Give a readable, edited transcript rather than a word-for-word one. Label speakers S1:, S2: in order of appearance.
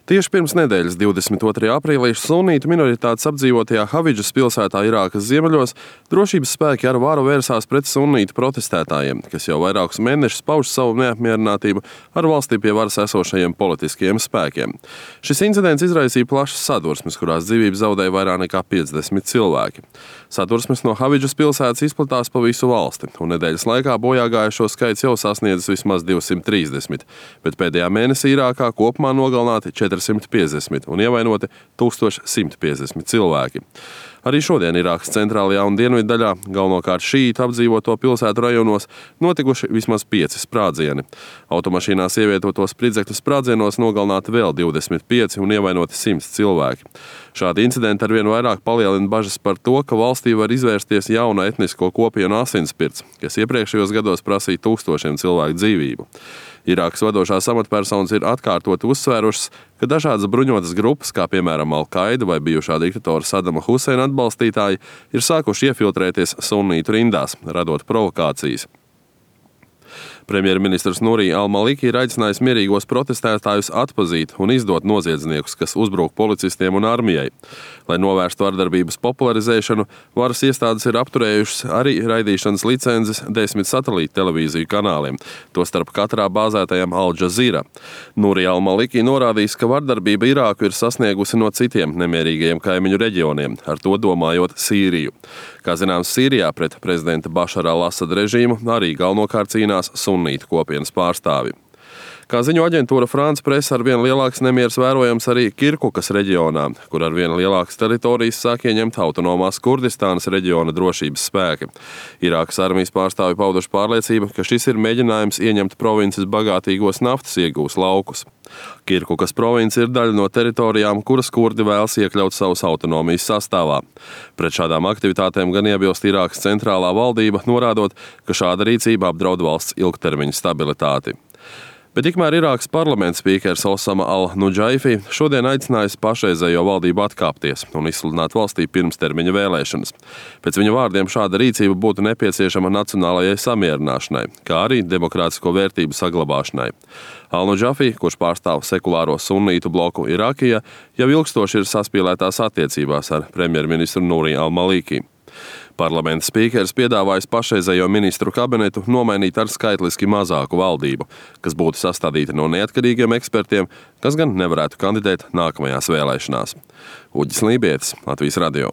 S1: Tieši pirms nedēļas 22. aprīlī sunītu minoritātes apdzīvotajā Havidžas pilsētā Irākas ziemeļos drošības spēki ar varu vērsās pret sunītu protestētājiem, kas jau vairākus mēnešus pauž savu neapmierinātību ar valstī pie varas esošajiem politiskajiem spēkiem. Šis incidents izraisīja plašas sadursmes, kurās dzīvību zaudēja vairāk nekā 50 cilvēki. Sadursmes no Havidžas pilsētas izplatās pa visu valsti, un nedēļas laikā bojāgājušo skaits jau sasniedzis vismaz 230, bet pēdējā mēnesī Irākā kopumā nogalināti 450 un ievainoti 1150 cilvēki. Arī šodien Irākas centrālajā un dienvidu daļā, galvenokārt šīītu apdzīvoto pilsētu rajonos, notikuši vismaz 5 sprādzieni. Automašīnās ievietotos spridzekļu sprādzienos nogalināti vēl 25 un ievainoti 100 cilvēki. Šādi incidenti arvien vairāk palielina bažas par to, ka valstī var izvērsties jauna etnisko kopienu asinsspirts, kas iepriekšējos gados prasīja tūkstošiem cilvēku dzīvību. Irākas vadošās amatpersonas ir atkārtoti uzsvērušas, ka dažādas bruņotas grupas, kā piemēram Al-Qaida vai bijušā diktatora Sadama Huseina atbalstītāji, ir sākuši iefiltrēties sunītu rindās, radot provokācijas. Premjerministrs Nuri Al-Maliki ir aicinājis mierīgos protestētājus atpazīt un izdot noziedzniekus, kas uzbruk policistiem un armijai. Lai novērstu vardarbības popularizēšanu, varas iestādes ir apturējušas arī raidīšanas licences 10 satelīta televīziju kanāliem, tostarp katrā bāzētajam Al Jazeera. Nuri Al-Maliki norādījis, ka vardarbība Irāku ir sasniegusi no citiem nemierīgajiem kaimiņu reģioniem, ar to domājot Sīriju. Kā zināms, Sīrijā pret prezidenta Bašara al-Asada režīmu arī galvenokārt cīnās sunītu kopienas pārstāvi. Kā ziņo aģentūra France Presse, arvien lielāks nemieris vērojams arī Kirkukas reģionā, kur arvien lielākas teritorijas sāk ieņemt autonomās Kurdistānas reģiona drošības spēki. Irākas armijas pārstāvi pauduši pārliecību, ka šis ir mēģinājums ieņemt provinces bagātīgos naftas iegūs laukus. Kirkukas province ir daļa no teritorijām, kuras kurdi vēlas iekļaut savas autonomijas sastāvā. Pret šādām aktivitātēm gan iebilst Irākas centrālā valdība, norādot, ka šāda rīcība apdraud valsts ilgtermiņa stabilitāti. Bet tikmēr Irākas parlamenta spīkers Osama al-Nudžaifi šodien aicinājis pašreizējo valdību atkāpties un izsludināt valstī pirmstermiņa vēlēšanas. Pēc viņa vārdiem šāda rīcība būtu nepieciešama nacionālajai samierināšanai, kā arī demokrātisko vērtību saglabāšanai. Al-Nudžaifi, kurš pārstāv sekulāro sunītu bloku Irākijā, jau ilgstoši ir saspīlētās attiecībās ar premjerministru Nuri Al-Maliki. Parlamenta spīkers piedāvājis pašreizējo ministru kabinetu nomainīt ar skaitliski mazāku valdību, kas būtu sastādīta no neatkarīgiem ekspertiem, kas gan nevarētu kandidēt nākamajās vēlēšanās. Uģis Lībietis, Latvijas radio.